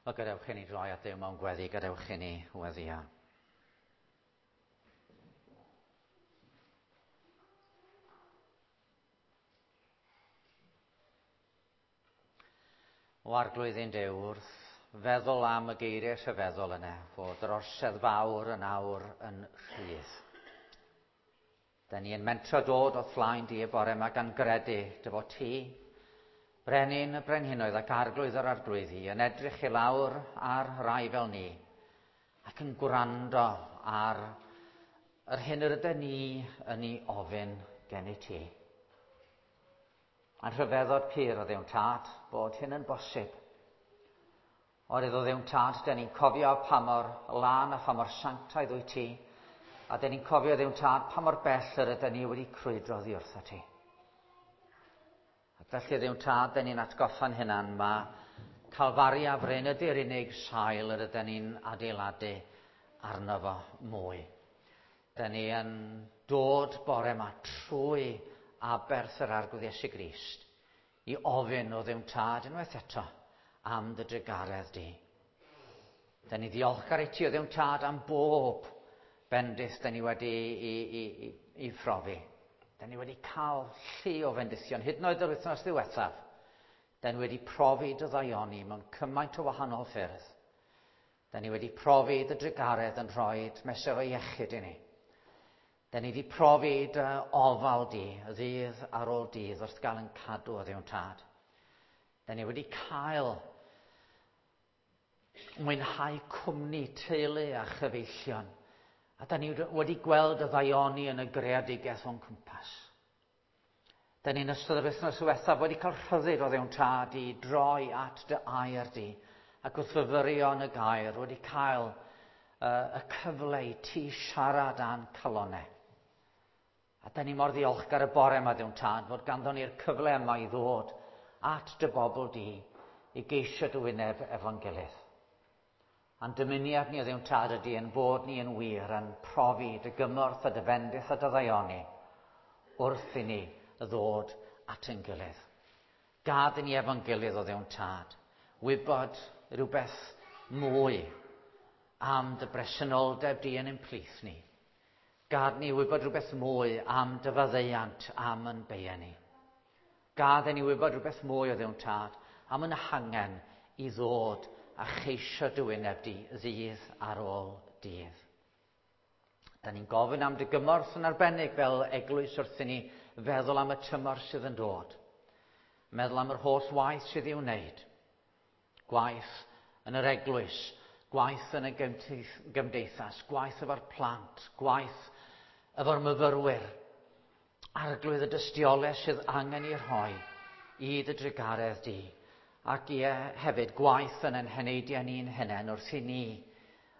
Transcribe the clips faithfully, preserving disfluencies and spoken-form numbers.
Wel, gadewch i ni droi at Dduw mewn gweddi, gadewch i ni weddïo. O Arglwydd ein Duw, wrth feddwl am y geiriau rhyfeddol yna, fod yr orsedd fawr yn awr yn rhydd. Da ni yn mentro dod o flaen di y bore yma gan gredu dy fod ti, Brenin y brenhinoedd ac arglwydd yr arglwyddi, yn edrych i lawr ar rai fel ni ac yn gwrando ar yr hyn yr ydyn ni yn ei ofyn gen i ti. A'n rhyfeddod pur o Dduw Tad bod hyn yn bosib. Oherwydd o Dduw Tad, den ni'n cofio pa mor lân a pha mor sanctaidd wyt ti, a den ni'n cofio Dduw Tad pa mor bell yr ydyn ni wedi crwydro oddi wrtho ti. Ac felly Dduw Tad, den ni'n atgoffa'n hunan, mae Calfaria fryn ydy'r unig sail yr ydyn ni'n adeiladu arno fo mwy. Den ni yn dod bore yma trwy aberth yr Arglwydd Iesu Grist i ofyn o Dduw Tad unwaith eto am dy drugaredd di. Den ni ddiolchgar i ti o Dduw Tad am bob bendith den ni wedi i, i, i, i phrofi. Den ni wedi cael llu o fendithion, hyd yn oed yr wythnos ddiwethaf. Den ni wedi profi dy ddaioni mewn cymaint o wahanol ffyrdd. Den ni wedi profi dy drugaredd yn rhoi mesur o iechyd i ni. Den ni wedi profi dy ofal di, ddydd ar ôl dydd, wrth gael yn cadw o Dduw Tad. Den ni wedi cael mwynhau cwmni teulu a chyfeillion. A da ni wedi gweld y ddaioni yn y greadigaeth o'n cwmpas. Da ni'n ystod yr wythnos ddiwethaf wedi cael rhyddid o Dduw Tad i droi at dy air di, ac wrth fyfyrio yn y gair wedi cael uh, y cyfle i ti siarad â'n calonnau. A da ni mor ddiolchgar y bore yma, Dduw Tad, fod ganddon ni'r cyfle yma i ddod at dy bobl di i geisio dy wyneb efo'n gilydd. A'n dymuniad ni o Dduw Tad ydy yn bod ni yn wir yn profi dy gymorth a dy fendith a dy ddaioni wrth i ni ddod at ein gilydd. Gad i ni efo'n gilydd o Dduw Tad wybod rhywbeth mwy am dy bresenoldeb di yn ein plith ni. Gad ni wybod rhywbeth mwy am dy faddeuant am yn beia ni. Gad i ni wybod rhywbeth mwy o Dduw Tad am yn hangen i ddod a cheisio dy wyneb di ddydd ar ôl dydd. Da ni'n gofyn am dy gymorth yn arbennig fel eglwys wrth i ni feddwl am y tymor sydd yn dod. Meddwl am yr holl waith sydd i'w wneud. Gwaith yn yr eglwys, gwaith yn y gymdeithas, gwaith efo'r plant, gwaith efo'r myfyrwyr. Arglwydd y dystiolaeth sydd angen ei rhoi i dy drugaredd di. Ac ie, hefyd gwaith yn ein heneidiau ni'n hunain wrth i ni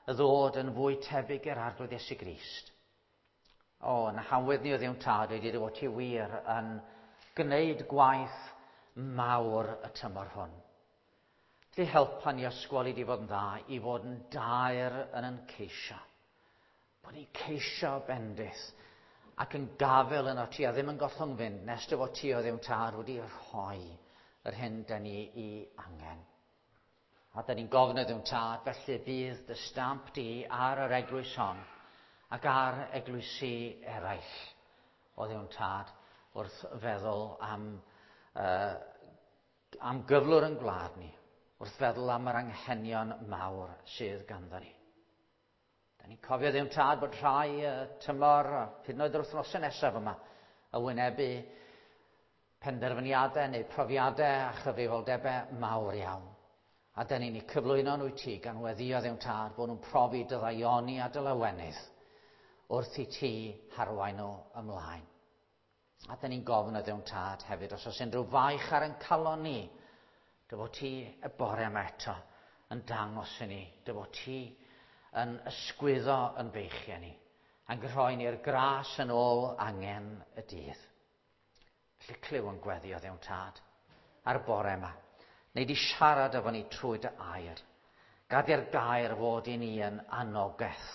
ddod yn fwy tebyg i'r Arglwydd Iesu Grist. O, na hawydd ni o Dduw Tad wedi dy fod ti wir yn gwneud gwaith mawr y tymor hwn. Felly helpa ni ysgol i di fod yn dda, i fod yn daer yn yn ceisio. Bod ni'n ceisio bendith ac yn gafel yno ti a ddim yn gollwng fynd nes dy fod ti o Dduw Tad wedi rhoi yr hyn da ni i angen. A da ni'n gofyn o Dduw Tad, felly bydd dy stamp di ar yr eglwys hon ac ar eglwysi eraill o Dduw Tad wrth feddwl am, uh, am gyflwr yn gwlad ni, wrth feddwl am yr anghenion mawr sydd ganddo ni. Da ni'n cofio Dduw Tad bod rhai uh, tymor, hyd yn oed yr wythnosau nesaf yma, y wynebu penderfyniadau neu profiadau a chyfrifoldebau mawr iawn. A da ni'n eu cyflwyno nhw i ti gan weddïo Dduw Tad bod nhw'n profi dy ddaioni a dy lawenydd wrth i ti harwain nhw ymlaen. A da ni'n gofyn o Dduw Tad hefyd, os oes unrhyw faich ar ein calon ni, dy fod ti y bore yma eto yn dangos i ni, dy fod ti yn ysgwyddo yn beichiau ni, a'n rhoi ni'r gras yn ôl angen y dydd. Felly clyw yn gweddi o Dduw Tad ar y bore yma. Neu di siarad efo ni trwy dy air. Gad i'r gair fod i ni yn anogaeth.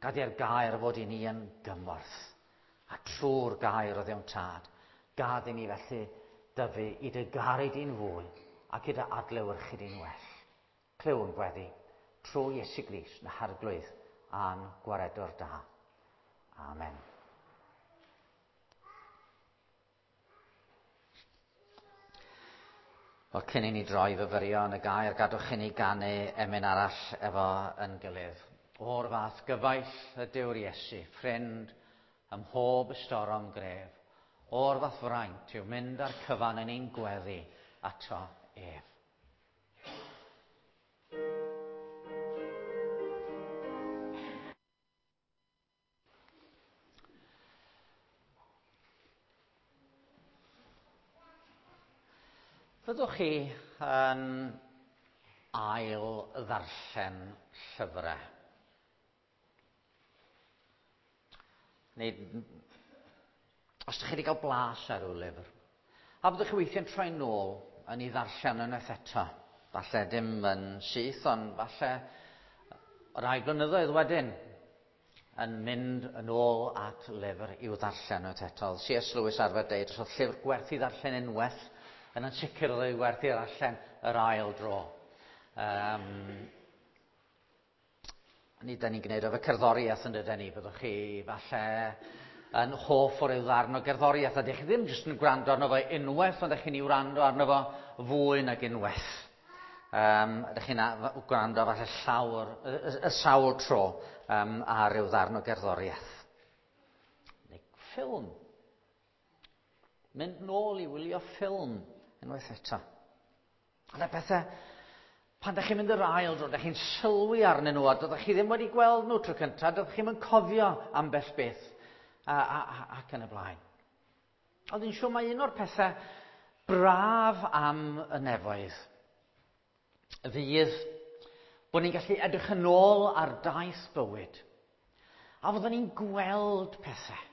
Gad i'r gair fod i ni yn gymorth. A trwy'r gair o Dduw Tad, gad i ni felly dyfu i dy garu di'n fwy ac i dy adlewyrchu di'n well. Clywn gweddi trwy Iesu Grist na harglwydd a'n gwaredwr da. Amen. Wel, cyn i ni droi fyfyrio yn y gair, gadwch i ni ganu emyn arall efo yn gilydd. O'r fath gyfaill ydyw'r Iesu, ffrind ym mhob ystorom gref. O'r fath fraint yw mynd â'r cyfan yn ein gweddi ato ef. Fyddwch chi yn ail ddarllen llyfrau? Neu, os ydych chi wedi cael blas ar ryw lyfr, a byddwch chi weithiau'n troi nôl yn ei ddarllen unwaith eto. Falle dim yn syth, ond falle rai blynyddoedd wedyn yn mynd yn ôl at lyfr i'w ddarllen unwaith eto. C S Lewis arfer deud, os oedd llyfr gwerth i ddarllen unwaith, yn ansicr oedd ei werth i ddarllen yr ail dro. Um, ni da ni'n gwneud efo cerddoriaeth yn dydyn ni, byddwch chi falle yn hoff o ryw ddarn o gerddoriaeth, a dych chi ddim jyst yn gwrando arno fo unwaith, ond dych chi'n ei wrando arno fo fwy nag unwaith. Um, ydych chi'n gwrando falle llawr, y, y, y sawl tro um, ar ryw ddarn o gerddoriaeth. Neu ffilm. Mynd nôl i wylio ffilm unwaith eto. Yna bethau, pan ydych chi'n mynd yr ail dro, ydych chi'n sylwi arnyn nhw, a dydych chi ddim wedi gweld nhw tro cyntaf, dydych chi'n cofio ambell beth, a, a, a, ac yn y blaen. Ond yn siŵr mae un o'r pethau braf am y nefoedd fydd bod ni'n gallu edrych yn ôl ar daith bywyd, a fyddwn ni'n gweld pethau.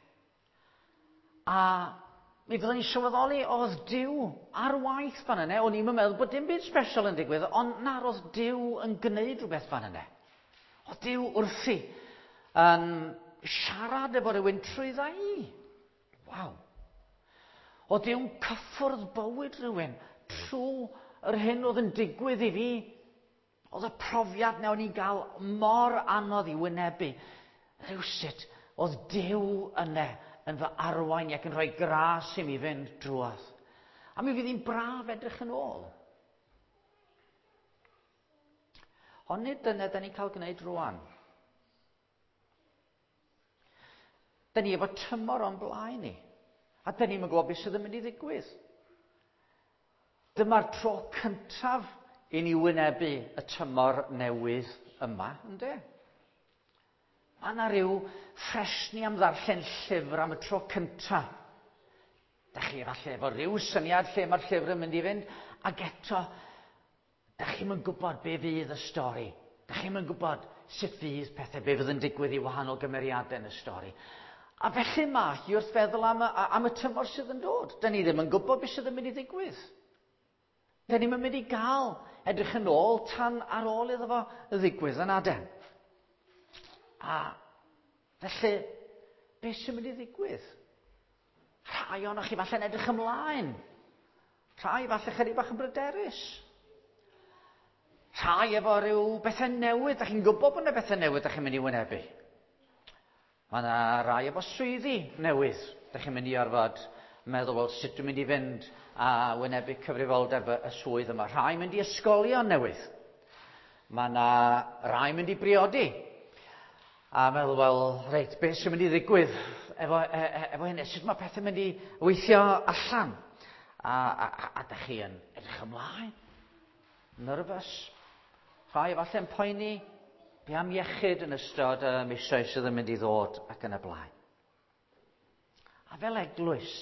A mi fyddwn ni'n sylweddoli oedd Duw ar waith fan yna. O'n i'n meddwl bod dim byd special yn digwydd, ond na, oedd Duw yn gwneud rhywbeth fan yna. Oedd Duw wrthi yn siarad efo rhywun trwydda i. Waw. Oedd Duw'n cyffwrdd bywyd rhywun trwy yr hyn oedd yn digwydd i fi. Oedd y profiad na o'n i'n gael mor anodd i wynebu. Rhywsut, oedd Duw yna yn fy arwain ac yn rhoi gras i mi fynd drwodd. A mi fydd hi'n braf edrych yn ôl. Ond nid dyna da ni'n cael gwneud rwan. Da ni efo tymor o'n blaen ni. A da ni'n gwybod beth sydd yn mynd i ddigwydd. Dyma'r tro cyntaf i ni wynebu y tymor newydd yma, ynde? Mae yna rhyw ffresni am ddarllen llyfr am y tro cyntaf. Da chi falle efo rhyw syniad lle mae'r llyfr yn mynd i fynd, ac eto, da chi'm yn gwybod be fydd y stori. Da chi'm yn gwybod sut fydd pethau, be fydd yn digwydd i wahanol gymeriadau yn y stori. A felly mae hi wrth feddwl am y, am y tymor sydd yn dod. Da ni ddim yn gwybod beth sydd yn mynd i ddigwydd. Da ni'm yn mynd i gael edrych yn ôl tan ar ôl iddo fo ddigwydd yn aden. A felly, beth sy'n mynd i ddigwydd? Rhai ohonoch chi falle'n edrych ymlaen. Rhai falle chydig bach yn bryderus. Rhai efo rhyw bethau newydd. Da chi'n gwybod bod yna bethau newydd da chi'n mynd i wynebu. Mae yna rai efo swyddi newydd. Da chi'n mynd i orfod meddwl, wel, sut dwi'n mynd i fynd a wynebu cyfrifoldeb y swydd yma. Rhai mynd i ysgolion newydd. Mae yna rai mynd i briodi. A meddwl, wel, reit, beth sy'n mynd i ddigwydd efo, e, efo hynny? Sut mae pethau'n mynd i weithio allan? A, a, a, a da chi yn edrych ymlaen? Nervous? Rhai efallai'n poeni? Be am iechyd yn ystod y misoedd sydd yn mynd i ddod ac yn y blaen? A fel eglwys,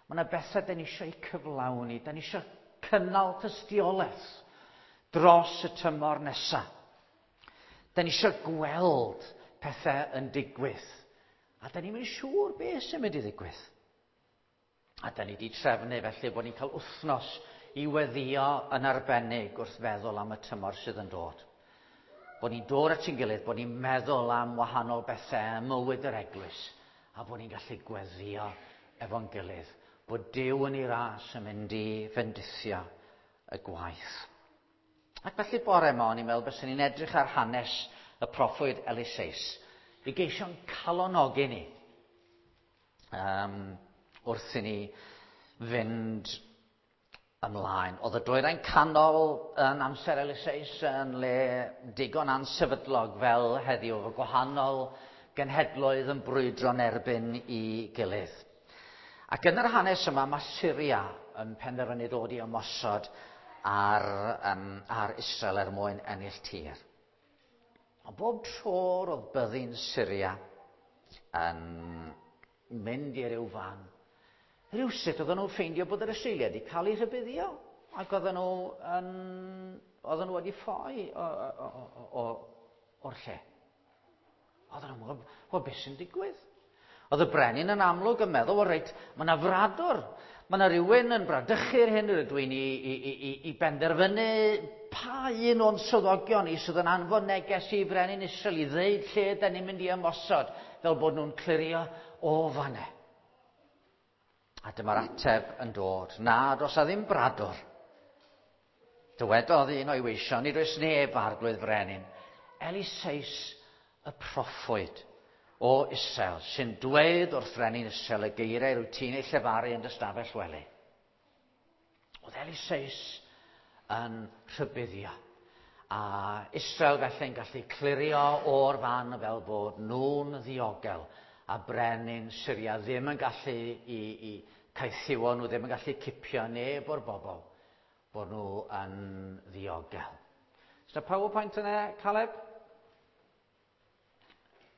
mae yna bethau da ni eisiau eu cyflawni, da ni eisiau cynnal tystiolaeth dros y tymor nesaf. Da ni eisiau gweld pethau yn digwydd. A da ni'n mynd siŵr beth sy'n mynd i ddigwydd. A da ni wedi trefnu felly bod ni'n cael wythnos i weddïo yn arbennig wrth feddwl am y tymor sydd yn dod. Bod ni'n dod at ein gilydd, bod ni'n meddwl am wahanol bethau ym mywyd yr eglwys, a bod ni'n gallu gweddïo efo'n gilydd. Bod Duw yn ei ras yn mynd i fendithio y gwaith. Ac felly bore yma, o'n i'n meddwl byswn ni'n edrych ar hanes y proffwyd Eliseus i geisio'n calonogi ni um, wrth i ni fynd ymlaen. Oedd y dwyrain canol yn amser Eliseus yn le digon ansefydlog fel heddiw, efo gwahanol genhedloedd yn brwydro'n erbyn i gilydd. Ac yn yr hanes yma, mae Syria yn penderfynu dod i ymosod ar, um, ar Israel er mwyn ennill tir. Ond bob tro roedd byddin Syria yn mynd i ryw fan, rhywsut oedden nhw'n ffeindio bod yr Israeliaid wedi cael eu rhybuddio, ac oedden nhw, yn, oedden nhw wedi ffoi o, o, o, o, o'r lle. Oedden nhw'n meddwl, wel, beth sy'n digwydd? Oedd y brenin yn amlwg yn meddwl, wel reit, mae yna fradwr, mae yna rhywun yn bradychu'r hyn rydw i'n i, i, i, i benderfynu pa un o'n swyddogion i sydd yn anfon neges i brenin Israel i ddeud lle da ni'n mynd i ymosod, fel bod nhw'n clirio o fanne. A dyma'r ateb yn dod. Na, does a ddim bradwr. Dywedodd un o'i weision, nid oes neb arglwydd frenin. Eliseus y proffwyd o Israel, sy'n dweud wrth frenin Israel y geiriau rwyt ti'n ei llefaru yn dy stafell wely. Oedd Eliseus yn rhybuddio. A Israel felly'n gallu clirio o'r fan fel bod nhw'n ddiogel, a brenin Syria ddim yn gallu i, i caethiwo nhw, ddim yn gallu cipio neb o'r bobl, bod nhw yn ddiogel. Is yna PowerPoint yna, Caleb?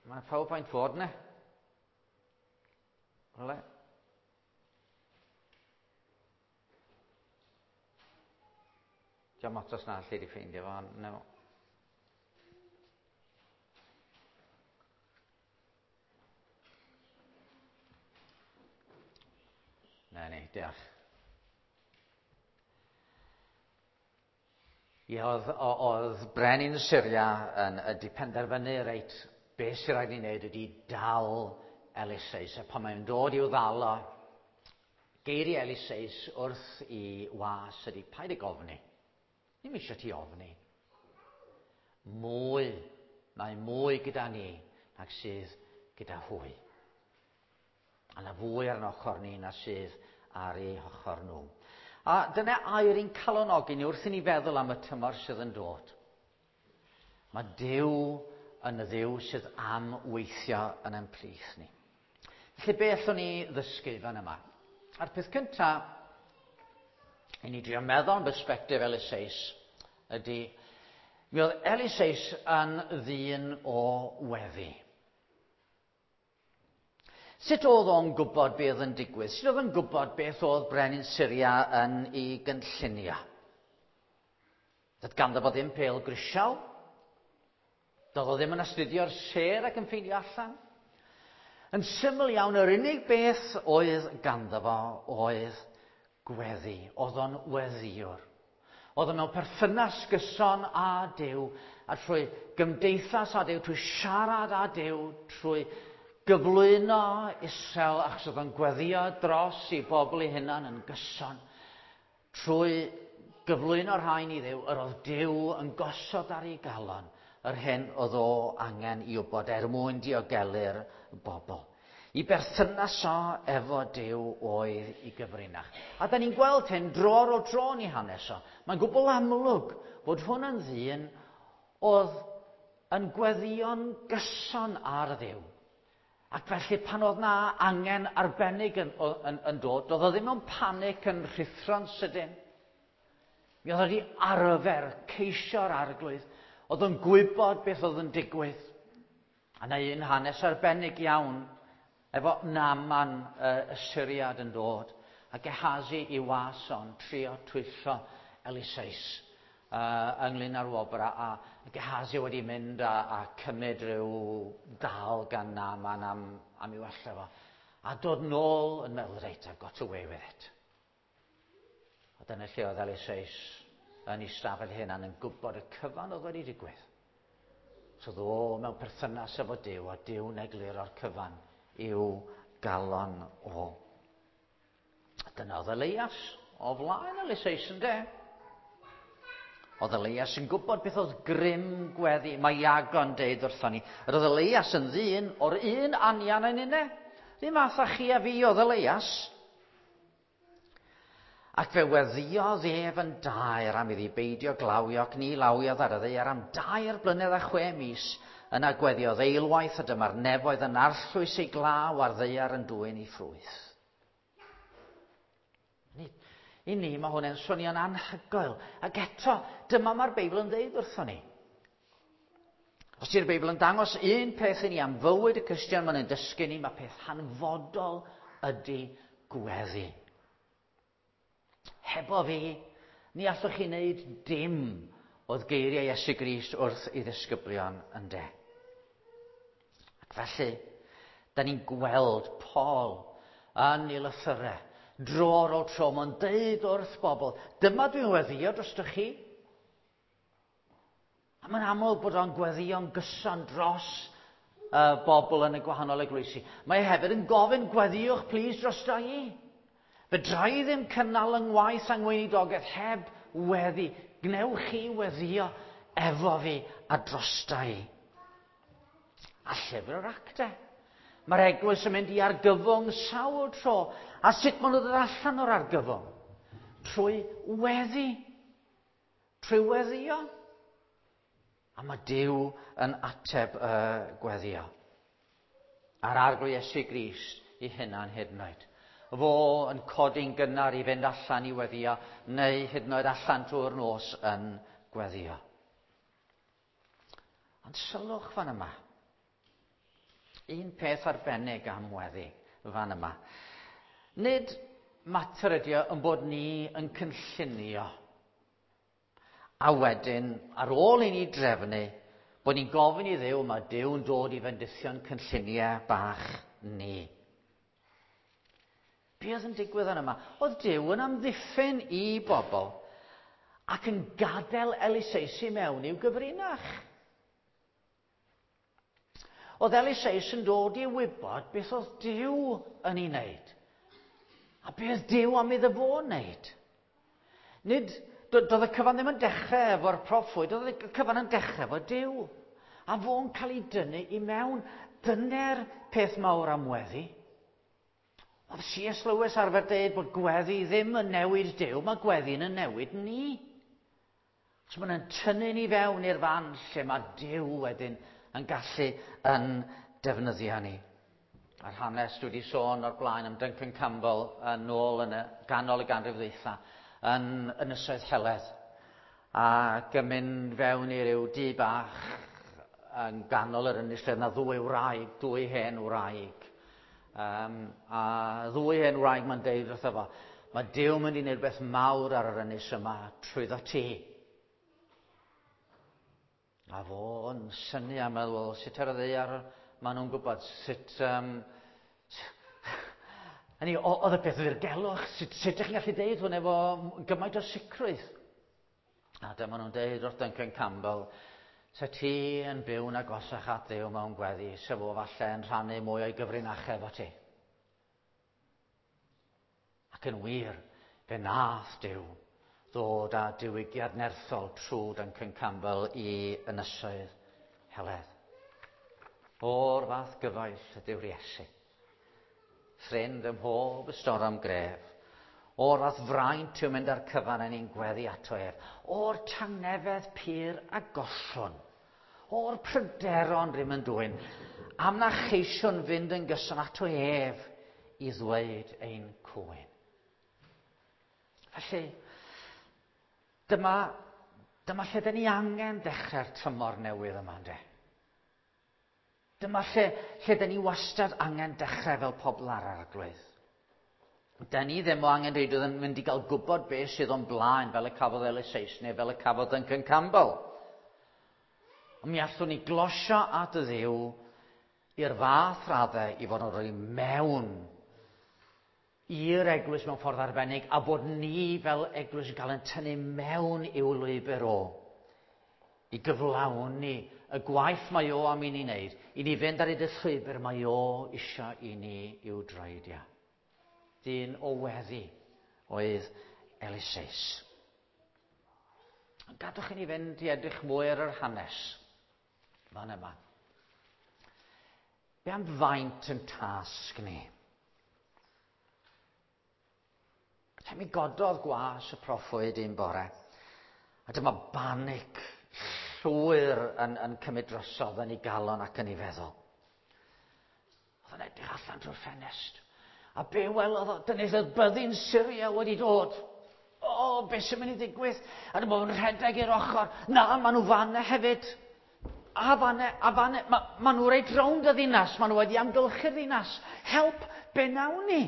Mae yna PowerPoint fod yna. Rhywle? Diolch ots os na allu di ffeindio fo, no. Na ni, diolch. Ie, oedd, oedd brenin Syria yn ydi penderfynu, reit, beth sy'n rhaid i wneud ydi dal Eliseus. A pan mae'n dod i'w ddal o, geiriau Eliseus wrth i was ydi, paid ag ofni. Ddim eisiau ti ofni. Mwy, mae mwy gyda ni nag sydd gyda hwy. A na fwy ar ein ochr ni na sydd ar eu hochr nhw. A dyna air i'n calonogi ni wrth i ni feddwl am y tymor sydd yn dod. Mae Duw yn y Dduw sydd am weithio yn ein plith ni. Felly be allwn ni ddysgu fan yma? A'r peth cyntaf, i ni drio meddwl am bersbectif Eliseus, ydy, mi oedd Eliseus yn ddyn o weddi. Sut oedd o'n gwybod beth oedd yn digwydd? Sut oedd o'n gwybod beth oedd brenin Syria yn ei gynllunio? Doedd ganddo fo ddim pêl grisial. Doedd o ddim yn astudio'r sêr ac yn ffeindio allan. Yn syml iawn, yr unig beth oedd ganddo fo oedd gweddi. Oedd o'n weddiwr. Oedd o mewn perthynas gyson â Duw, a trwy gymdeithas â Duw, trwy siarad â Duw, trwy gyflwyno Israel, achos oedd o'n gweddio dros i bobl ei hunan yn gyson. Trwy gyflwyno'r rhain i Dduw, yr oedd Duw yn gosod ar ei galon yr hyn oedd o angen i wybod er mwyn diogelu'r bobl. I berthynas o efo Duw oedd i gyfrinach. A da ni'n gweld hyn dro ar ôl tro yn ei hanes o. Mae'n gwbl amlwg bod hwn yn ddyn oedd yn gweddïo'n gyson ar Dduw. Ac felly pan oedd na angen arbennig yn, yn, yn dod, doedd o ddim mewn panic yn rhuthro'n sydyn. Mi oedd wedi arfer ceisio'r arglwydd. Oedd o'n gwybod beth oedd yn digwydd. A na un hanes arbennig iawn efo Naaman y Syriad yn dod, a Gehazi i was o'n trio twyllo Eliseus uh, ynglyn â'r wobr, a, a Gehazi wedi mynd a, a cymryd rhyw dal gan Naaman am, am i wella fo. A dod nôl yn meddwl, reit, I've got away with it. A dyna lle oedd Eliseus yn ei stafell hunan yn gwybod y cyfan oedd wedi digwydd. So oedd o mewn perthynas efo Duw, a Duw'n egluro'r cyfan i'w galon o. A dyna oedd Elias o flaen Eliseus, ynde? Oedd Elias yn gwybod beth oedd grym gweddi. Mae Iago'n deud wrthon ni. Yr oedd Elias yn ddyn o'r un anian yn unne. Ddim math â chi a fi oedd Elias. Ac fe weddiodd ef yn daer am iddi beidio glawio ac ni lawiodd ar y ddaear am dair blynedd a chwe mis. Yna gweddiodd eilwaith a dyma'r nefoedd yn arllwys ei glaw a'r ddaear yn dwyn ei ffrwyth. I ni mae hwn yn swnio'n anhygoel. Ac eto, dyma mae'r Beibl yn dweud wrthon ni. Os ydy'r Beibl yn dangos un peth i ni am fywyd y Cristion, mae'n dysgu ni, mae peth hanfodol ydy gweddi. Hebo fi, ni allwch chi wneud dim oedd geiriau Iesu Grist wrth ei ddisgyblion yn de. Ac felly, da ni'n gweld Paul yn ei lythyrau, dro ar ôl tro, mae'n deud wrth bobl, dyma dwi'n weddio drostoch chi. A mae'n amlwg bod o'n gweddio'n gyson dros uh, bobl yn y gwahanol eglwysi. Mae hefyd yn gofyn, gweddiwch plîs drosto i. Fedra i ddim cynnal yng ngwaith a ngweinidogaeth heb weddi. Gnewch chi weddio efo fi a drosta i. A llyfr yr actau. Mae'r eglwys yn mynd i argyfwng sawl tro. A sut maen nhw'n dod allan o'r argyfwng? Trwy weddi. Trwy weddio. A mae Duw yn ateb y uh, gweddio. A'r Arglwydd Iesu Grist i hunan hyd yn oed. Fo yn codi'n gynnar i fynd allan i weddio, neu hyd yn oed allan drwy'r nos yn gweddio. Ond sylwch fan yma. Un peth arbennig am weddi fan yma. Nid mater ydi o yn bod ni yn cynllunio. A wedyn, ar ôl i ni drefnu, bod ni'n gofyn i Dduw, mae Duw'n dod i fendithio'n cynlluniau bach ni. Be oedd yn digwydd yn yma? Oedd Duw yn amddiffyn i bobl ac yn gadael Eliseus i mewn i'w gyfrinach. Oedd Eliseus yn dod i wybod beth oedd Duw yn ei wneud. A beth oedd Duw am iddo fo wneud. Nid, doedd y cyfan ddim yn dechrau efo'r proffwyd, doedd y cyfan yn dechrau efo Duw. A fo'n cael ei dynnu i mewn. Dyna'r peth mawr am weddi. Oedd C S Lewis arfer dweud bod gweddi ddim yn newid Duw, mae gweddi'n yn newid ni. So mae'n tynnu ni fewn i'r fan lle mae Duw wedyn yn gallu yn defnyddio ni. A'r hanes dwi wedi sôn o'r blaen am Duncan Campbell yn ôl yn y ganol y ganrif ddwytha yn Ynysoedd Heledd. Ac yn mynd fewn i ryw dŷ bach yn ganol yr ynys lle yna ddwy wraig, dwy hen wraig. Um, a ddwy hen wraig mae'n deud wrtho fo, mae Duw mynd i wneud rhywbeth mawr ar yr ynys yma trwyddo ti. A fo'n synnu a meddwl, sut ar y ddaear maen nhw'n gwybod, sut... Um, hynny, oedd y peth ddirgelwch, sut, sut ydych chi'n gallu deud hwn efo gymaint o sicrwydd? A dyma nhw'n deud wrth Duncan Campbell, se ti yn byw'n agosach at Dduw mewn gweddi, se fo falle yn rhannu mwy o'i gyfrinachau efo ti. Ac yn wir, fe nath Duw ddod â diwygiad nerthol trwy Duncan Campbell i Ynysoedd Heledd. O'r fath gyfaill ydyw'r Iesu. Ffrind ym mhob ystorm gref. O'r fath fraint yw mynd â'r cyfan yn ein gweddi ato ef. O'r tangnefedd pur a gollwn. O'r pryderon rym yn dwyn. Am na cheisiwn fynd yn gyson ato ef i ddweud ein cwyn. Felly, dyma, dyma lle dyn ni angen dechrau'r tymor newydd yma, ynde? Dyma lle, lle dyn ni wastad angen dechrau fel pobl ar Arglwydd. Dyn ni ddim o angen reidrwydd yn mynd i gael gwybod beth sydd o'n blaen fel y cafodd Eliseus neu fel y cafodd Duncan Campbell. Ond mi allwn ni glosio at y Dduw i'r fath raddau i fod yn rhoi mewn i'r eglwys mewn ffordd arbennig a bod ni fel eglwys yn cael ein tynnu mewn i'w lwybr o i gyflawni y gwaith mae o am i ni wneud, i ni fynd ar hyd y llwybr mae o eisiau i ni i'w droedio. Dyn o weddi oedd Eliseus. Ond gadwch i ni fynd i edrych mwy ar yr hanes. Fan yma. Be am faint yn tasg ni? Mi gododd gwas y proffwyd un bore, a dyma banic llwyr yn, yn cymryd drosodd yn ei galon ac yn ei feddwl. Oedd yn edrych allan drwy'r ffenest. A be welodd o? Dyna oedd byddin Syria wedi dod. O, be sy'n mynd i ddigwydd? A dyma fo'n rhedeg i'r ochr. Na, maen nhw fanna hefyd. A fanna, a fanna. Ma, ma nhw reit rownd y ddinas. Maen nhw wedi amgylchu'r ddinas. Help, be nawn ni?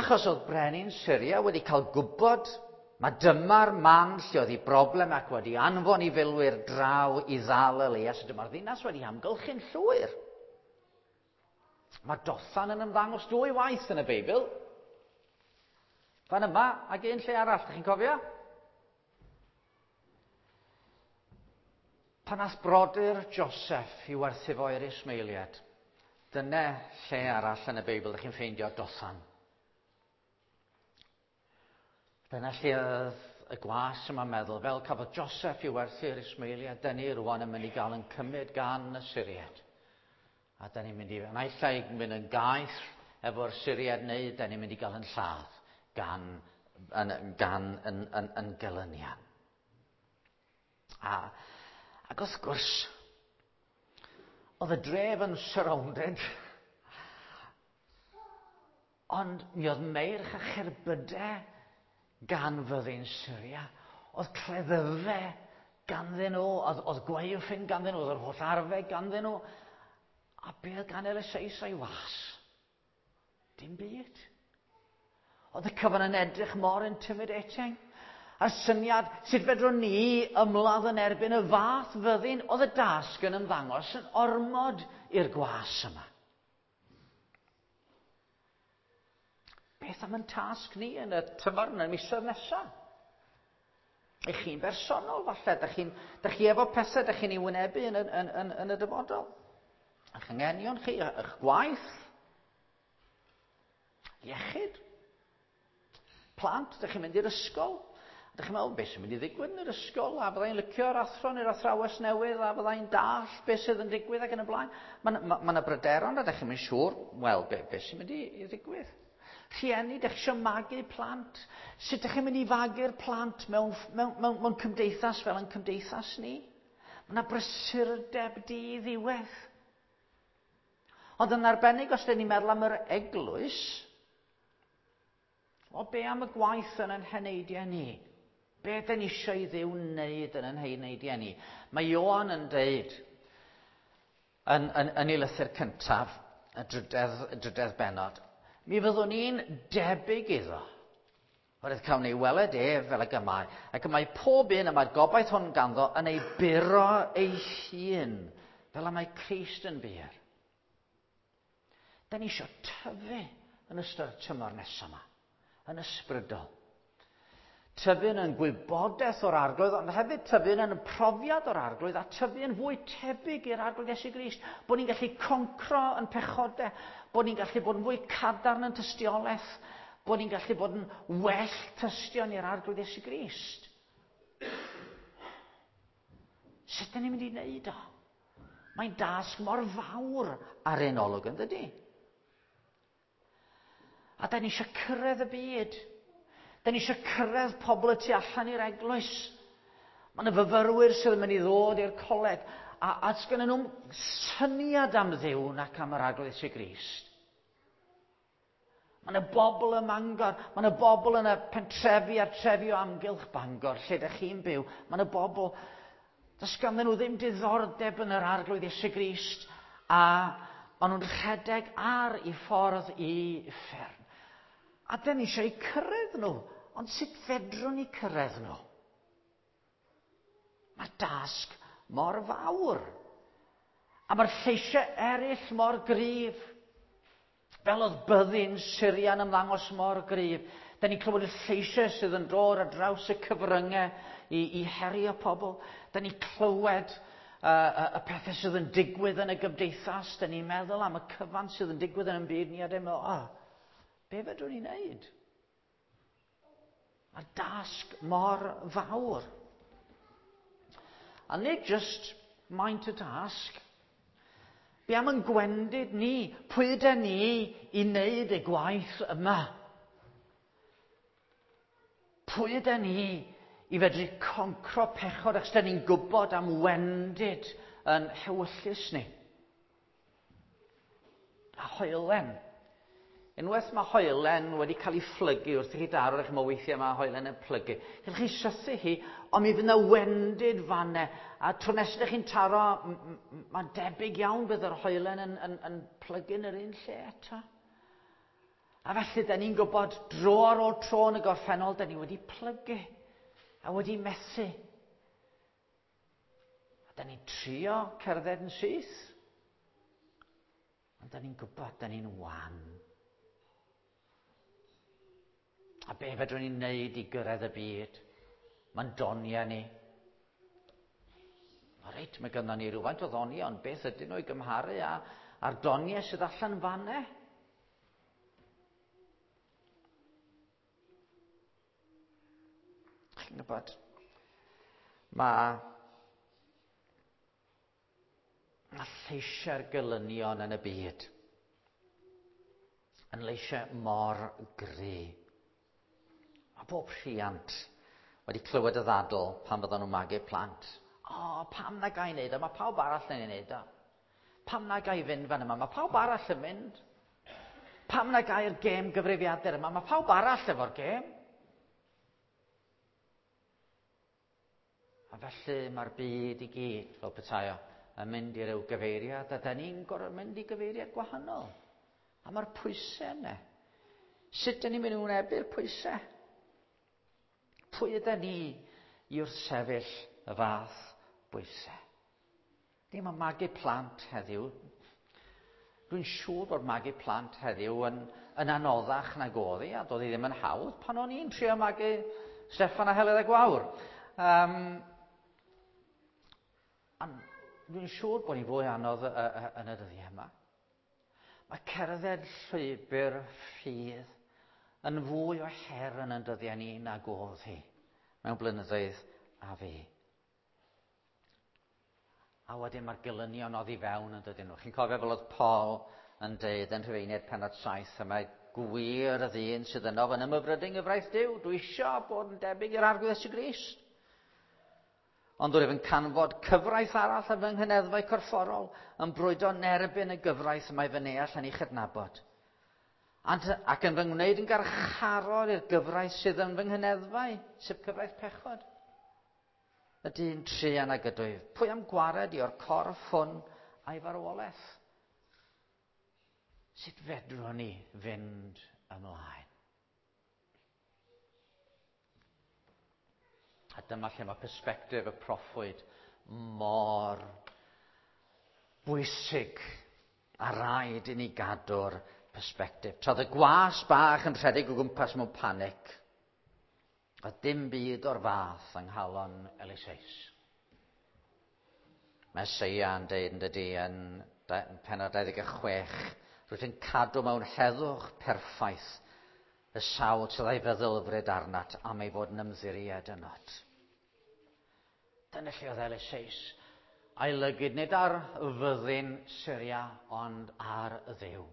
Achos oedd brenin Syria wedi cael gwybod mae dyma'r man lle oedd ei broblem ac wedi anfon i filwyr draw i ddal Elias. Dyma'r ddinas wedi amgylchu'n llwyr. Mae Dothan yn ymddangos dwy waith yn y Beibl. Fan yma ac un lle arall, ydych chi'n cofio? Pan ath brodyr Joseph i werthu fo i'r Ismaeliaid, dyna lle arall yn y Beibl ydych chi'n ffeindio Dothan. Dyna lle oedd y gwas yma'n meddwl, fel cafodd Joseph i werthu'r Ismaeliaid, dyn ni rwan yn mynd i gael yn cymryd gan y Syriaid. A dyn ni'n mynd i, naill ai mynd yn gaeth efo'r Syriaid, neu dyn ni'n mynd i gael yn lladd gan, yn, gan yn, yn, yn gelynion. A, ac wrth gwrs, oedd y dref yn surrounded, ond mi oedd meirch a cherbydau gan fyddin Syria, oedd cleddyfau ganddyn nhw, oedd, oedd gwaywffyn ganddyn nhw, oedd yr holl arfau ganddyn nhw. A be oedd gan Eliseus a'i was? Dim byd. Oedd y cyfan yn edrych mor intimidating. A'r syniad, sut fedrwn ni ymladd yn erbyn y fath fyddin, oedd y dasg yn ymddangos yn ormod i'r gwas yma. Beth am yn tasg ni yn y tymor yn y misoedd nesaf? Eich chi'n bersonol falle, dych chi'n, dych chi efo pethau dych chi'n ei wynebu yn, yn, yn, yn y dyfodol. Eich anghenion chi, eich gwaith, iechyd, plant, dych chi'n mynd i'r ysgol. Dych chi'n meddwl, beth sy'n mynd i ddigwydd yn yr ysgol, a fyddai'n licio'r athro neu'r athrawes newydd, a fyddai'n dall beth sydd yn digwydd ac yn y blaen. Mae ma, ma yna bryderon a dych chi'n mynd siŵr, wel, be, beth sy'n mynd i, i ddigwydd. Rhieni, dych chi eisiau magu plant. Sut dych chi'n mynd i fagu'r plant mewn, mewn, mewn, mewn cymdeithas fel yn cymdeithas ni? Mae yna brysurdeb di-ddiwedd. Ond yn arbennig os dyn ni'n meddwl am yr eglwys, o be am y gwaith yn ein heneidiau ni? Be dyn ni eisiau i Dduw wneud yn ein heneidiau ni? Mae Ioan yn deud yn, yn, yn ei lythyr cyntaf, y drydedd, y drydedd bennod, mi fyddwn ni'n debyg iddo. Oherwydd cawn ni weled ef fel ag y mae, ac y mae pob un y mae'r gobaith hwn ganddo yn ei buro ei hun, fel y mae Crist yn bur. Da ni eisiau tyfu yn ystod y tymor nesaf yma, yn ysbrydol. Tyfu yn gwybodaeth o'r Arglwydd, ond hefyd tyfu yn profiad o'r Arglwydd, a tyfu yn fwy tebyg i'r Arglwydd Iesu Grist. Bod ni'n gallu concro yn pechodau, bod ni'n gallu bod yn fwy cadarn yn tystiolaeth, bod ni'n gallu bod yn well tystion i'r Arglwydd Iesu Grist. Sut ydyn ni'n mynd i wneud o? Mae'n dasg mor fawr ar ein olwg, yn dydi? A da ni eisiau cyrraedd y byd. Da ni eisiau cyrraedd pobl y tu allan i'r eglwys. Mae yna fyfyrwyr sydd yn mynd i ddod i'r coleg, a, a sgennyn nhw'n syniad am Dduw nac am yr Arglwydd Iesu Grist. Mae yna bobl ym Mangor, mae yna bobl yn y pentrefi a'r trefi o amgylch Bangor, lle ydych chi'n byw. Mae yna bobl, does ganddyn nhw ddim diddordeb yn yr Arglwydd Iesu Grist, a maen nhw'n rhedeg ar eu ffordd i uffern. A dyn ni eisiau cyrraedd nhw, ond sut fedrwn ni cyrraedd nhw? Mae'r dasg mor fawr. A mae'r lleisiau eraill mor gryf. Fel oedd byddin Syria'n ymddangos mor gryf. Da ni'n clywed y lleisiau sydd yn dod ar draws y cyfryngau i, i herio pobl. Da ni'n clywed uh, y pethau sydd yn digwydd yn y gymdeithas. Da ni'n meddwl am y cyfan sydd yn digwydd yn y byd ni a dyn meddwl, oh, be fedrwn ni wneud? Mae'r dasg mor fawr. A nid just maint y dasg. Be am yn gwendid ni? Pwy ydy ni i wneud y gwaith yma? Pwy ydy ni i fedru concro pechod achos da ni'n gwybod am wendid yn hewyllys ni? A hoelen. Unwaith mae hoelen wedi cael ei phlygu wrth i chi daro, eich mae weithiau mae hoelen yn plygu. Gallwch chi sythu hi, ond mi fydd yna wendid fanne. A tro nesaf chi'n taro, mae'n debyg iawn bydd yr hoelen yn, yn, yn plygu yn yr un lle eto. A felly, da ni'n gwybod dro ar ôl tro yn y gorffennol, da ni wedi plygu a wedi methu. A da ni'n trio cerdded yn syth. Ond da ni'n gwybod, da ni'n wan. A be fedrwn ni'n neud i gyrraedd y byd? Mae'n doniau ni. O reit, mae gynnon ni rhywfaint o ddoniau, ond beth ydyn nhw i gymharu â, â'r doniau sydd allan fanne? Chi'n gwybod, mae, mae lleisiau'r gelynion yn y byd yn leisiau mor gry. A bob rhiant wedi clywed y ddadl pan fyddan nhw'n magu plant. O, pam na ga i wneud o? Mae pawb arall yn ei wneud o. Pam na ga i fynd fan yma? Mae pawb arall yn mynd. Pam na ga i'r gêm gyfrifiadur yma? Mae pawb arall efo'r gêm. A felly mae'r byd i gyd, fel petai o, yn mynd i ryw gyfeiriad, a da ni'n gorfod mynd i gyfeiriad gwahanol. A mae'r pwysau yna. Sut da ni'n mynd i wynebu'r pwysau? Pwy ydy ni i wrthsefyll y fath bwysau? Ddim yn magu plant heddiw. Dwi'n siŵr bod magu plant heddiw yn, yn anoddach nag oedd hi, a doedd hi ddim yn hawdd pan o'n i'n trio magu Steffan a Heledd a Gwawr. Um, dwi'n siŵr bod hi'n fwy anodd yn y dyddiau yma. Mae cerdded llwybr ffydd yn fwy o her yn ein dyddiau ni nag oedd hi mewn blynyddoedd a fi. A wedyn mae'r gelynion oddi fewn yn dydyn nhw. Chi'n cofio fel oedd Paul yn deud yn Rhufeiniaid pennod saith, y mae gwir y ddyn sydd yno yn ymhyfrydu yng nghyfraith Duw. Dwi isio bod yn debyg i'r Arglwydd Iesu Grist. Ond rwyf yn canfod cyfraith arall yn fy nghyneddfau corfforol yn brwydro yn erbyn y gyfraith y mae fy neall yn ei chydnabod. Ac yn fy ngwneud yn garcharor i'r gyfraith sydd yn fy nghyneddfau, sef cyfraith pechod. Y dyn truan ag ydwyf, pwy am gwared i o'r corff hwn a'i farwolaeth? Sut fedrwn ni fynd ymlaen? A dyma lle mae persbectif y proffwyd mor bwysig a rhaid i ni gadw'r persbectif. Tra oedd y gwas bach yn rhedeg o gwmpas mewn panic, a dim byd o'r fath yng nghalon Eliseus. Mae Eseia yn deud yn dydy yn pennod dau ddeg chwech, rwyt yn cadw mewn heddwch perffaith y sawl sydd â'i feddylfryd arnat am ei fod yn ymddiried ynot. Dyna lle oedd Eliseus a'i lygid nid ar fyddin Syria ond ar Dduw.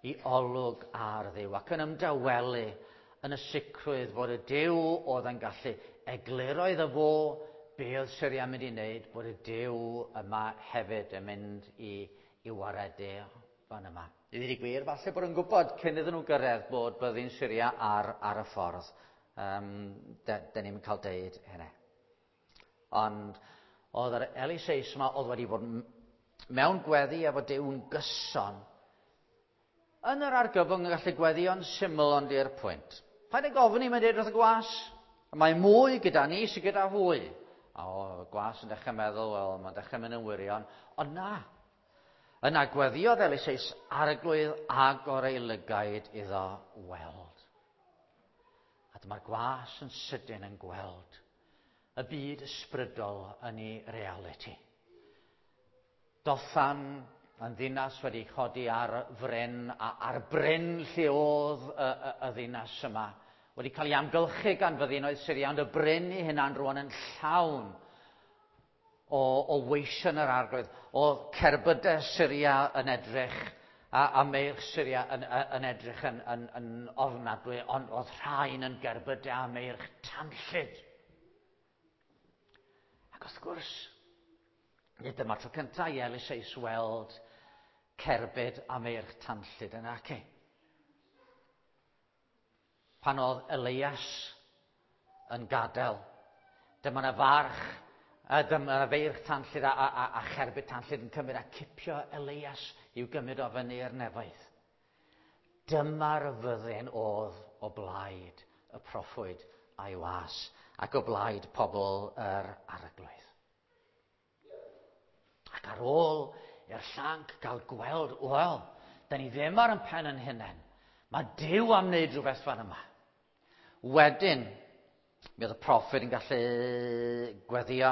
I olwg ar Dduw ac yn ymdawelu yn y sicrwydd fod y Duw oedd yn gallu egluro iddo fo be oedd Syria yn mynd i wneud, bod y Duw yma hefyd yn mynd i, i waredu fan yma. I ddweud y gwir, falle bod yn gwybod cyn iddyn nhw gyrraedd bod byddin Syria ar, ar y ffordd. Um, de, de ni'n cael deud hynny. Ond oedd yr Eliseus yma oedd wedi bod mewn gweddi efo Duw'n gyson. Yn yr argyfwng yn gallu gweddio'n syml ond i'r pwynt. Paid â gofyn i, mae'n deud wrth y gwas. Mae mwy gyda ni sydd gyda hwy. A o, y gwas yn dechrau meddwl, wel, mae'n dechrau mynd yn wirion. Ond na. Yna gweddiodd Eliseus, Arglwydd agor ei lygaid iddo weld. A dyma'r gwas yn sydyn yn gweld y byd ysbrydol yn ei realiti. Dothan yn ddinas wedi chodi ar fryn, a ar bryn lle oedd y, y, y ddinas yma Wedi cael ei amgylchu gan fyddinoedd Syria, ond y bryn ei hunan rwan yn llawn o, o weision yr arglwydd, o cerbydau Syria yn edrych, a, a meirch Syria yn, yn edrych yn, yn, yn ofnadwy, ond oedd rhain yn gerbydau a meirch tanllyd. Ac wrth gwrs, nid dyma'r tro cyntaf i Eliseus weld cerbyd a meirch tanllyd yn aci. Pan oedd Elias yn gadael, dyma 'na farch, a dyma 'na feirch tanllyd a, a, a, a cherbyd tanllyd yn cymryd a cipio Elias i'w gymryd o fyny i'r nefoedd. Dyma'r fyddin oedd o blaid y proffwyd a'i was ac o blaid pobl yr arglwydd. Ac ar ôl i'r llanc gael gweld, wel, da ni ddim ar yn pen yn hunain. Mae Duw am wneud rhywbeth fan yma. Wedyn, mi oedd y proffwyd yn gallu gweddio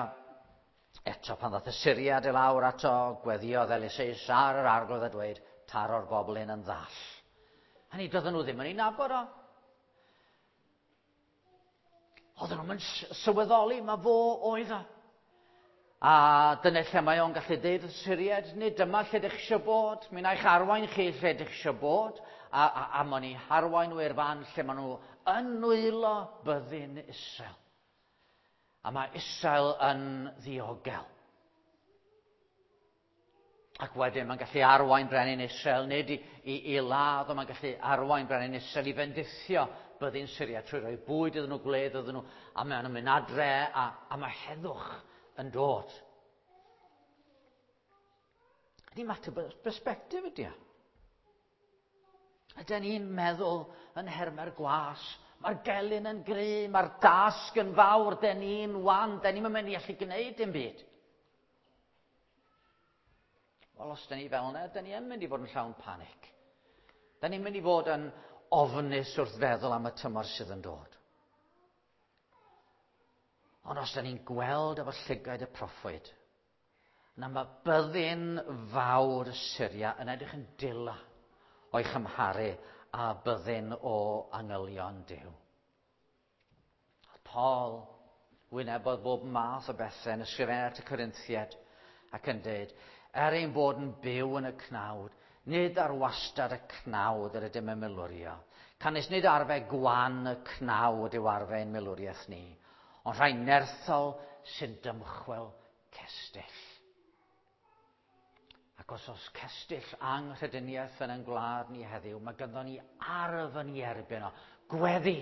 eto pan ddath y Syriad i lawr ato, gweddiodd Eliseus ar yr arglwydd a dweud, taro'r bobl hyn yn ddall. Hynny, doedden nhw ddim yn ei nabod o. Oedden nhw'n sylweddoli, mae fo oedd o. A dyna lle mae o'n gallu deud wrth Syriad, nid dyma lle ydych eisiau bod, mi wna i'ch arwain chi lle ydych eisiau bod, a, a, a ma'n eu harwain nhw i'r fan lle maen nhw yn nwylo byddin Israel. A mae Israel yn ddiogel. Ac wedyn mae'n gallu arwain brenin Israel, nid i, i, i ladd, ond mae'n gallu arwain brenin Israel i fendithio byddin Syria trwy roi bwyd iddyn nhw, gwledd iddyn nhw, a maen nhw'n mynd adre, a, a mae heddwch yn dod. Ydy mater perspective ydy o. Ydyn ni'n meddwl yn nhermau'r gwas, mae'r gelyn yn gry, mae'r dasg yn fawr, den ni'n wan, den ni'n mynd i allu gwneud dim byd. Wel, os dyn ni fel yna, dyn ni yn mynd i fod yn llawn panic. Dyn ni'n mynd i fod yn ofnus wrth feddwl am y tymor sydd yn dod. Ond os dyn ni'n gweld efo llygaid y proffwyd, na mae byddin fawr Syria yn edrych yn dila o'i chymharu â byddin o angylion Duw. Paul wynebodd bob math o bethau yn ysgrifennu at y Corinthiaid ac yn dweud, er ein bod yn byw yn y cnawd, nid ar wastad y cnawd yr ydym yn milwrio. Canys nid arfau gwan y cnawd yw arfau ein milwriaeth ni, ond rhai nerthol sy'n dymchwel cestyll. Ac os oes cestyll anghrediniaeth yn ein gwlad ni heddiw, mae ganddo ni arf yn ei erbyn o. Gweddi.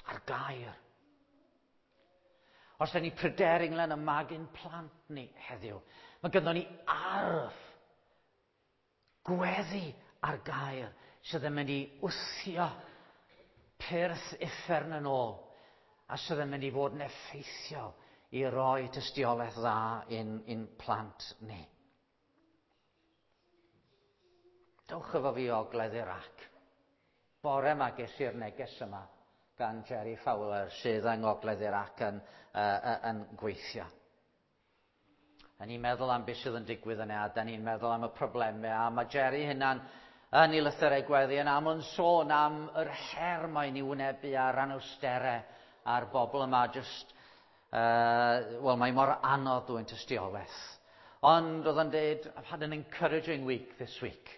A'r gair. Os da ni pryderu ynglyn â magu'n plant ni heddiw, mae ganddo ni arf. Gweddi a'r gair sydd yn mynd i wthio pyrth uffern yn ôl a sydd yn mynd i fod yn effeithiol i roi tystiolaeth dda i'n, i'n plant ni. Dewch efo fi o ogledd Iraq. Bore yma ges i'r neges yma gan Jerry Fowler sydd yng ngogledd Iraq yn, uh, yn gweithio. A ni'n meddwl am beth sydd yn digwydd yna, a da ni'n meddwl am y problemau, a mae Jerry hynna'n yn ei lythyrau gweddi yn aml yn sôn am yr her mae'n ei wynebu a'r anawsterau a'r bobl yma just, uh, wel, mae mor anodd dwyn tystiolaeth. Ond oedd o'n dweud, I've had an encouraging week this week.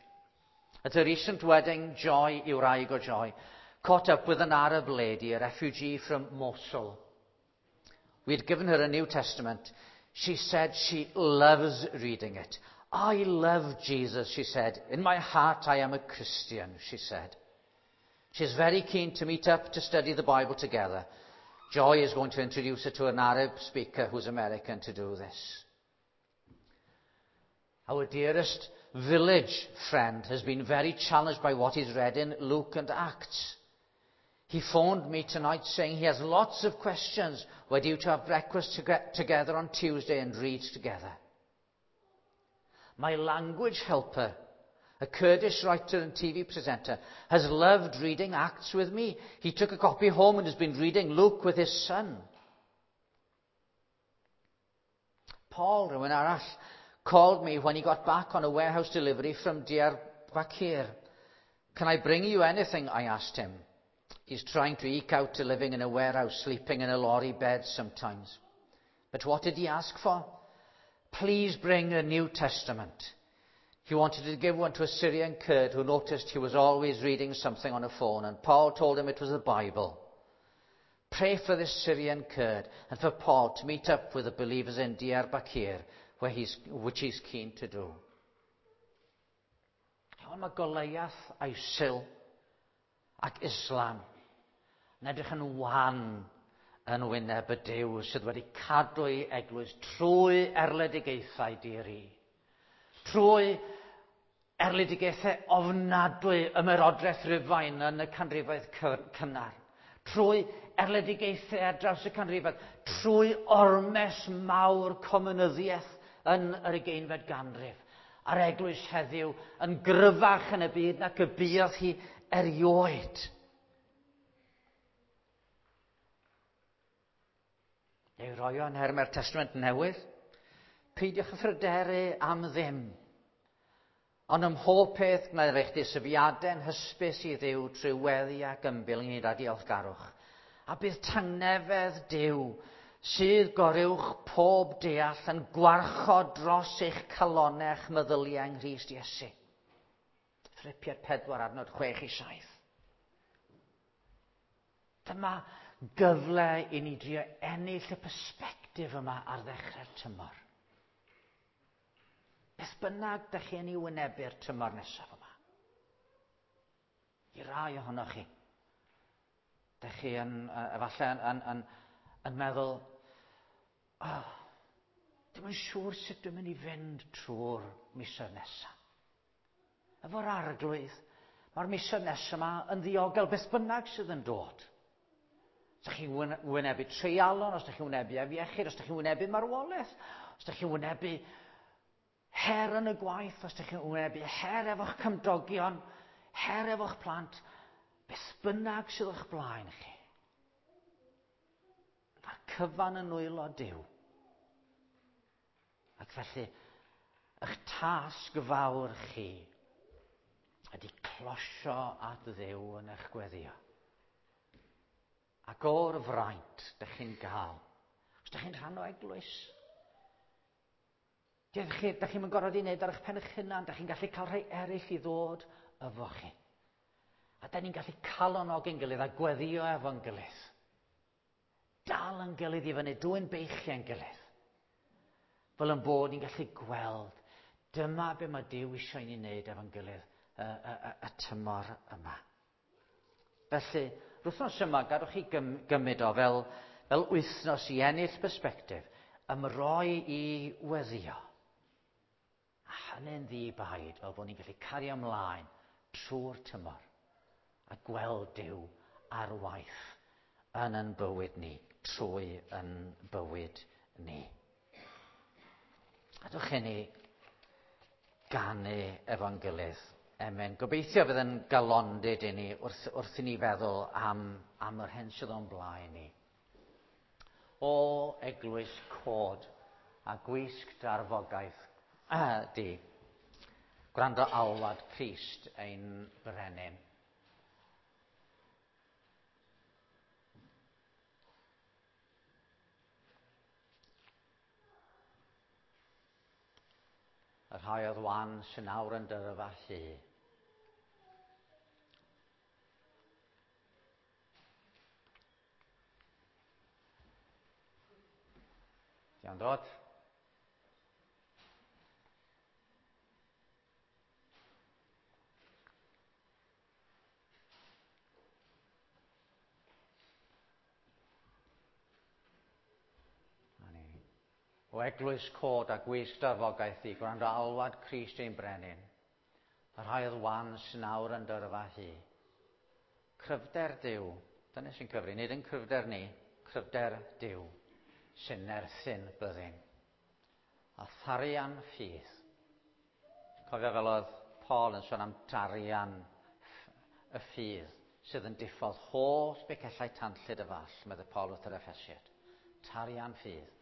At a recent wedding, Joy, i'w wraig o Joy, caught up with an Arab lady, a refugee from Mosul. We had given her a New Testament. She said she loves reading it. I love Jesus, she said. In my heart I am a Christian, she said. She's very keen to meet up to study the Bible together. Joy is going to introduce her to an Arab speaker who's American to do this. Our dearest village friend has been very challenged by what he's read in Luke and Acts. He phoned me tonight saying he has lots of questions. We're due to have breakfast to together on Tuesday and read together. My language helper, a Kurdish writer and T V presenter, has loved reading Acts with me. He took a copy home and has been reading Luke with his son. Paul, rhywun arall, called me when he got back on a warehouse delivery from Diyarbakir. Can I bring you anything? I asked him. He's trying to eke out a living in a warehouse, sleeping in a lorry bed sometimes. But what did he ask for? Please bring a New Testament. He wanted to give one to a Syrian Kurd who noticed he was always reading something on a phone, and Paul told him it was the Bible. Pray for this Syrian Kurd and for Paul to meet up with the believers in Diyarbakir, where he's, which he's keen to do. Ond mae Goliath, ISIL ac Islam yn edrych yn wan yn wyneb y Duw sydd wedi cadw ei eglwys trwy erledigaethau di-ri. Trwy erledigaethau ofnadwy ymerodraeth Rufain yn y canrifoedd cynnar. Trwy erledigaethau ar draws y canrifoedd. Trwy ormes mawr comunyddiaeth yn yr ugeinfed ganrif. A'r eglwys heddiw yn gryfach yn y byd nac y buodd hi erioed. Ei roi o yn nhermau'r Testament Newydd. Peidiwch â phryderu am ddim. Ond ym mhob peth gwneir eich deisyfiadau'n hysbys i Dduw trwy weddi ac ymbil ynghyd â diolchgarwch. A bydd tangnefedd Duw sydd goruwch pob deall yn gwarchod dros eich calonnau a'ch meddyliau yng Nghrist Iesu. Philipiaid pedwar adnod chwech i saith. Dyma gyfle i ni drio ennill y persbectif yma ar ddechrau'r tymor. Beth bynnag dych chi yn ei wynebu'r tymor nesaf yma. I rai ohonoch chi, dych chi yn, efallai yn, yn, yn, yn meddwl, oh, dim yn siŵr sut dwi'n mynd i fynd trwy'r misoedd nesaf. Efo'r Arglwydd, mae'r misoedd nesaf yma yn ddiogel beth bynnag sydd yn dod. Os ydych chi'n wynebu treialon, os ydych chi'n wynebu afiechyd, os ydych chi'n wynebu marwolaeth, os ydych chi'n wynebu her yn y gwaith, os ydych chi'n wynebu her efo'ch cymdogion, her efo'ch plant, beth bynnag sydd o'ch blaen chi. Mae'r cyfan yn nwylo Duw. Ac felly, eich tasg fawr chi ydy closio at Dduw yn eich gweddio. Ac o'r fraint dych chi'n gael, os dych chi'n rhan o eglwys, dych chi, dych chi'n gorfod i wneud ar eich pen eich hunan, dych chi'n gallu cael rhai eraill i ddod efo chi. A da ni'n gallu calonogi'n gilydd a gweddio efo'n gilydd. Dal yn gilydd i fyny, dwyn beichiau'n gilydd. Fel yn bod ni'n gallu gweld, dyma be mae Duw eisiau i ni wneud efo'n gilydd y, y, y, y tymor yma. Felly, wythnos yma, gadwch chi gym, gymryd o fel, fel wythnos i ennill persbectif, ymroi i weddio. A hynny'n ddi-baid, fel bod ni'n gallu cario ymlaen trwy'r tymor a gweld Duw ar waith yn yn bywyd ni, trwy yn bywyd ni. Gadwch i ni ganu efo'n gilydd. Amen. Gobeithio fydd yn galondid i ni wrth, wrth i ni feddwl am, am yr hyn sydd o'n blaen ni. O eglwys cod a gwisg darfogaeth di, gwrando alwad Crist ein brenin. Y rhai oedd wan sy'n awr yn dyrfa llu. Diolch dod. O eglwys cod a gwisg darfogaeth i, gwrando alwad Crist ein brenin, y rhai oedd wan sy'n awr yn dyrfa hi. Cryfder Duw, dyna sy'n cyfri, nid yn cryfder ni, cryfder Duw, sy'n nerthyn byddin. A tharian ffydd. Cofio fel oedd Paul yn sôn am darian y ffydd sydd yn diffodd holl becellau tanllyd y fall, meddai Paul wrth yr Effesiaid. Tarian ffydd.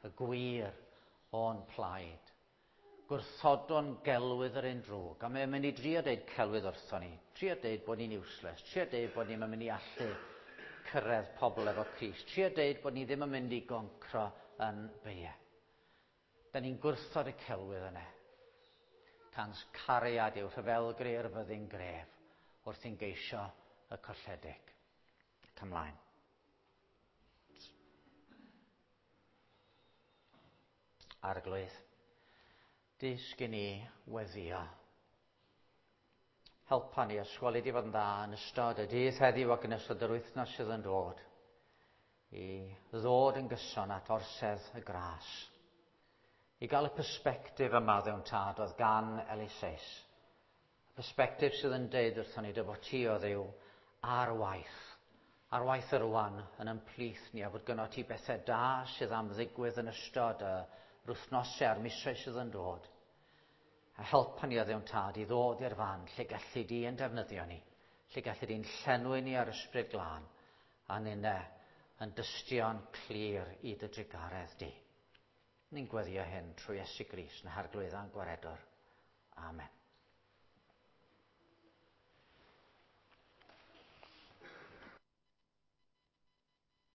Y gwir o'n plaid. Gwrthodwn gelwydd yr un drwg, a mae'n mynd i drio deud celwydd wrthon ni, trio deud bod ni'n useless, trio deud bod ni'n mynd i allu cyrraedd pobl efo Crist, trio deud bod ni ddim yn mynd i goncro yn beiau. Da ni'n gwrthod y celwydd yna. Cans cariad yw rhyfelgri'r fyddin gref wrth i'n geisio y colledig. Ac ymlaen. Arglwydd, dysg i ni weddio. Helpa ni ysgoli di fod yn dda yn ystod y dydd heddiw ac yn ystod yr wythnos sydd yn dod i ddod yn gyson at orsedd y gras. I gael y persbectif yma ddewn tad oedd gan Eliseus. Y persbectif sydd yn deud wrthon ni dy fod ti o Dduw ar waith. Ar waith yr rwan yn ymplith ni a fod gynno ti bethau da sydd am ddigwydd yn ystod y wythnosau a'r misoedd sydd yn dod. A helpa ni o Dduw'n tad i ddod i'r fan lle gallu di yn defnyddio ni, lle gallu di'n llenwi ni ar ysbryd glân, a ninne yn dystion clir i dy drugaredd di. Ni'n gweddio hyn trwy Iesu Grist yn harglwydd a'n gwaredwr. Amen.